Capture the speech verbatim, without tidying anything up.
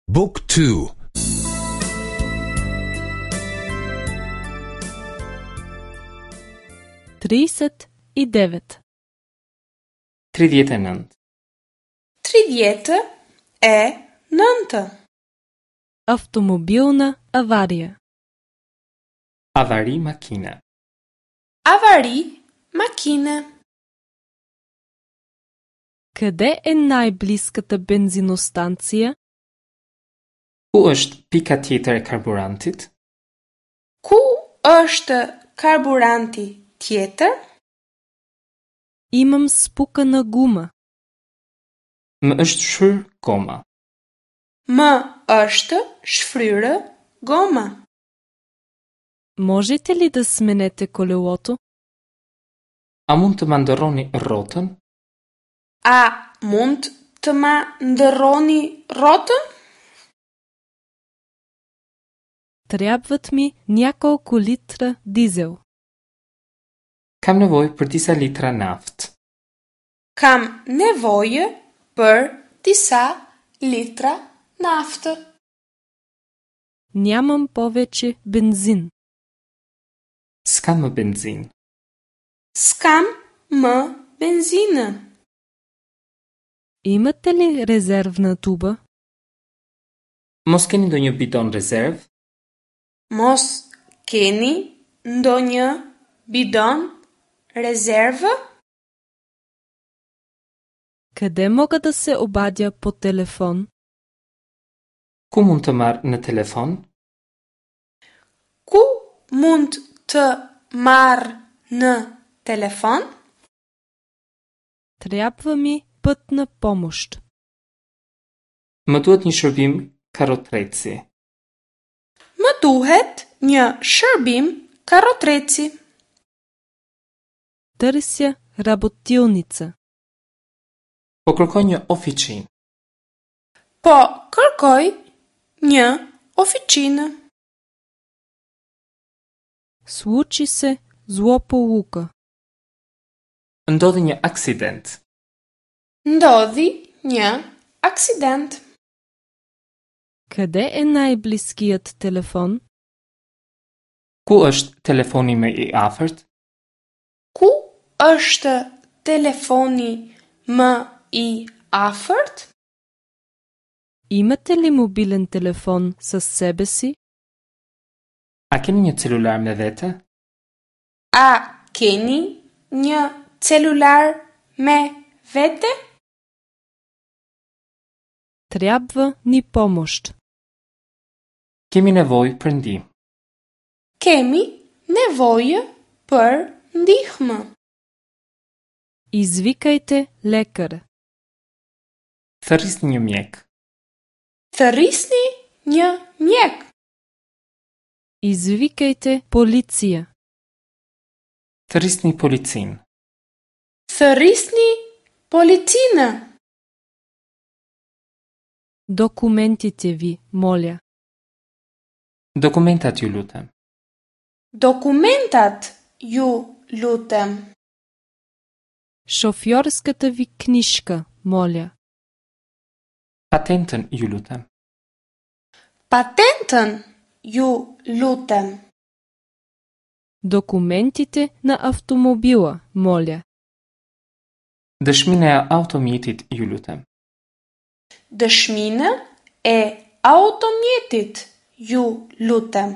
Book two. Тридесет и девет. Tridhjetë e nëntë. Tridhjetë e nëntë. Автомобилна авария. Avari makine. Avari makine. Къде е най-близката бензиностанция? Ku është pika tjetër e karburantit? Ku është karburanti tjetër? Имам спукана гума. Më është shfryrë goma. Më është shfryrë goma. Можете ли да смените колелото? A mund të ma ndërroni rrotën? A mund të ma ndërroni rrotën? Трябват ми няколко литра дизел. Kam nevojë për disa litra naftë. Kam nevojë për disa litra naftë. Нямам повече бензин. S'kam më benzinë. S'kam më benzinë. Имате ли резервна туба? Mos keni ndonjë bidon rezervë? Mos keni ndonjë bidon rezervë? Къде мога да се обадя по телефон? Ku mund të marr në telefon? Ku mund të marr në telefon? Трябва ми пътна помощ. Më duhet një shërbim karrotreci. Më duhet një shërbim karrotreci. Търся работилница. Po kërkoj një ofiçinë. Po kërkoj një ofiçinë. Случи се злополука. Ndodhi një aksident. Ndodhi një aksident. Къде е най-близкият телефон? Ku është telefoni më i afërt? Ku është telefoni më i afërt? Имате ли мобилен телефон със себе си? A keni një celular me vete? A keni një celular me vete? Трябва ни помощ. Kemi nevojë për ndihmë. Kemi nevojë për ndihmë. Извикайте лекар. Thërrisni një mjek. Thërrisni një mjek. Извикайте полиция. Thërrisni policinë. Thërrisni policinë. Документите ви, моля. Dokumentat ju lutem. Dokumentat ju lutem. Шофьорската ви книжка, моля. Patentën ju lutem. Patentën ju lutem. Документите на автомобила, моля. Dëshminë e automjetit ju lutem. Dëshminë e automjetit ju lutem.